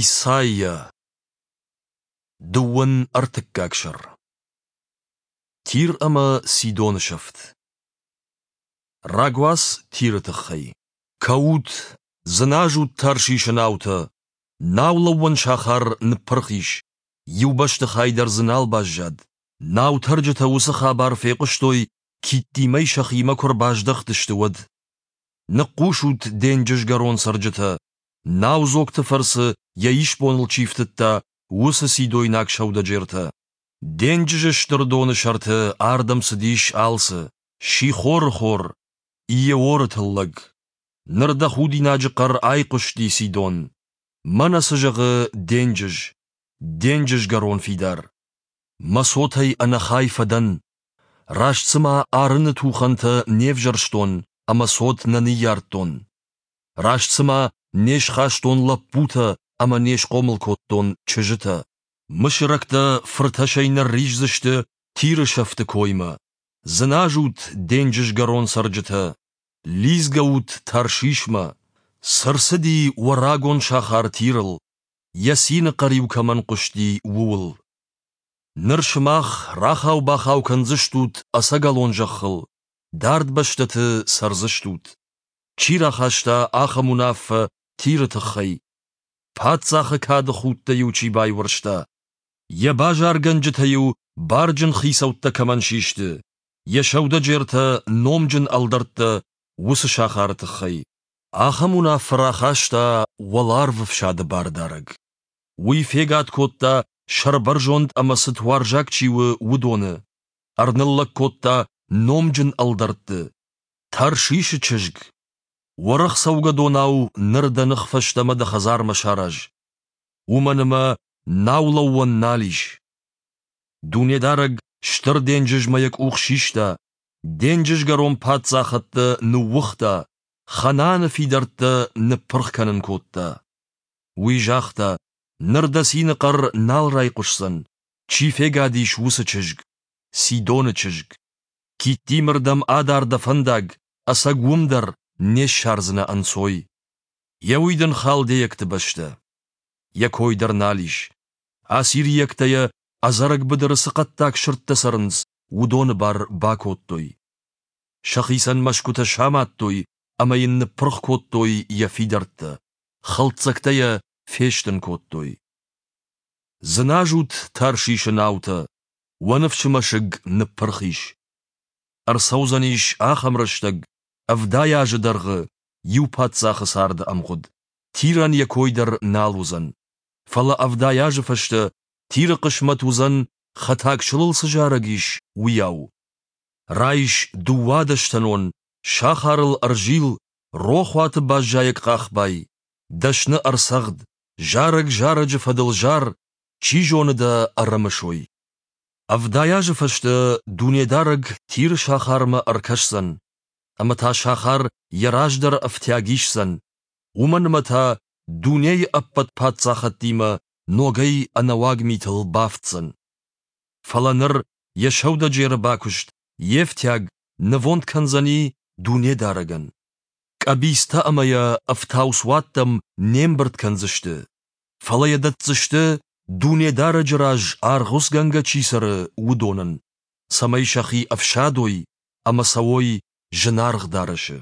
Исайя. Дыууын ӕртыккаг сӕр. Тир ӕмӕ Сидоны сӕфт. Рагуац Тиры тыххӕй. Кӕут, дзыназут Таршишы наутӕ! Наулӕууӕн сахар ныппырх ис, иу бӕстыхай дӕр дзы нал баззад. Наутӕрджытӕ уыцы хабар фехъуыстой, Киттимӕй сӕхимӕ куы рбаздӕхтысты, уӕд. Ныхъхъус ут, денджызгӕрон цӕрджытӕ! Наудзогты фӕрцы йӕ исбоныл чи фтыдта, уыцы сидойнаг сӕудӕджертӕ. Денджызы стыр доны сӕрты ардӕм цыдис алцы: Сихоры хор, Иеоры тыллӕг. Ныр дӕ худинаджы хъӕр айхъуысти, Сидон. Мӕнӕ цы зӕгъы денджыз, денджызгӕрон фидар. Мӕ цотӕй ӕнӕхай фӕдӕн. Раст цыма арыны тухӕнтӕ не взӕрстон ӕмӕ цот нӕ ныййардтон. Раст цыма не схастон лӕппутӕ ӕмӕ не схъомыл кодтон чызджытӕ. Мысырӕгтӕ фыртӕсӕй нырриздзысты Тиры сӕфты коймӕ. Дзыназут, денджызгӕрон цӕрджытӕ, лидзгӕ ут Таршишмӕ. Цы рцыди уӕ рагон сахар Тирыл, йӕ цины хъӕр-иу кӕмӕн хъуысти, ууыл? Ныр сымах рахау-бахау кӕндзыстут ӕцӕгӕлон зӕххыл, дард бӕстӕты цӕрдзыстут. Чи рахаста ахӕм уынаффӕ Тиры тыххӕй? Паддзахы кады худтӕ-иу чи байуӕрста? Йӕ базаргӕнджытӕ-иу барджын хицӕуттӕ кӕмӕн систы, йӕ сӕудӕджертӕ номджын ӕлдӕрттӕ уыцы сахары тыххӕй. Ахӕм уынаффӕ рахаста уӕларвы фсады бардарӕг. Уый фегад кодта, сӕрбӕрзонд ӕмӕ цытуарзаг чи у, уыдоны, ӕрныллӕг кодта номджын ӕлдӕртты. Таршишы чызг, уӕрӕх цӕугӕдонау ныр дӕ ных фӕстӕмӕ дӕ хӕдзармӕ сараз, уымӕн ӕмӕ наулӕууӕн нал ис. Дунедарӕг стыр денджызмӕ йӕ къух систа, денджызгӕрон паддзахӕдтӕ ныууыгъта, Ханааны фидӕрттӕ ныппырх кӕнын кодта. Уый загъта, ныр дӕ цины хъӕр нал райхъуысдзӕн, чи фегад ис, уыцы чызг, Сидоны чызг. Киттимырдӕм адар дӕ фӕндаг, ӕцӕг уым дӕр не ссардзынӕ ӕнцой. Йӕ уый дын халдейӕгты бӕстӕ. Йӕ кой дӕр нал ис. Ассирийӕгтӕ йӕ ӕдзӕрӕг быдыры цы хъӕддаг сырдтӕ цӕрынц, уыдоны бар бакодтой. Сӕхицӕн мӕсгуытӕ самадтой ӕмӕ йын ныппырх кодтой йӕ фидӕрттӕ, хӕлддзӕгтӕ йӕ фестын кодтой. Дзыназут Таршишы наутӕ, уӕ ныфсы мӕсыг ныппырх ис. Ӕрцӕудзӕнис ахӕм рӕстӕг, 70 азы дӕргъы, иу паддзахы царды ӕмгъуыд, Тирӕн йӕ кой дӕр нал уыдзӕн. Фӕлӕ 70 азы фӕстӕ Тиры хъысмӕт уыдзӕн, хӕтаг сылыл цы зарӕг ис, уыйау. Райс дыууадӕстӕнон, сахарыл ӕрзил, рохуаты баззайӕг хъахбай, дӕсны ӕрцӕгъд, зарӕг зарӕджы фӕдыл зар, чи зоны дӕ ӕрымысой. 70 азы фӕстӕ Дунедарӕг Тиры сахармӕ ӕркӕсдзӕн, ӕмӕ та сахар йӕ раздӕры ӕфтиаг исдзӕн, уымӕн ӕмӕ та дунейы ӕппӕт паддзахӕдтимӕ ногӕй ӕнӕуаг митыл бафтдзӕн. Фӕлӕ ныр йӕ сӕудӕджеры бакуыст, йе фтиаг нывонд кӕндзӕни Дунедарӕгӕн. Къӕбицтӕ ӕмӕ йӕ ӕфтауцуӕттӕм не мбырд кӕндзысты, фӕлӕ йӕ дӕтдзысты, Дунедарӕджы раз аргъуыцгӕнгӕ чи цӕры, уыдонӕн, цӕмӕй сӕхи ӕфсадой ӕмӕ цӕуой зынаргъ дарӕсы.